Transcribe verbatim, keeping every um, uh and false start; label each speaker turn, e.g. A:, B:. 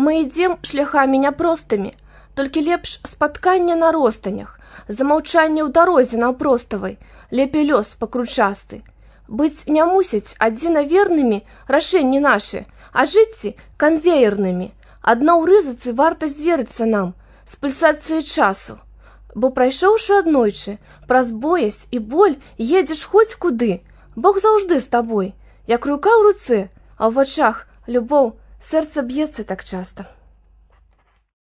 A: мы ідзем шляхамі няпростымі, толькі лепш спаткання на ростанях, замаўчанне ў дарозе наўпроставай, лепей лёс пакручасты. Быць не мусяць адзінавернымі рашэнні нашы, а жыцці канвеернымі. Адно ў рызыцы варта зверыцца нам з пульсацыяй часу, бо прайшоўшы аднойчы, праз боязь і боль едзеш хоць куды, Бог заўжды з табой, як рука ў руцэ, а ў вачах любоў, сэрца б'ецца так часта.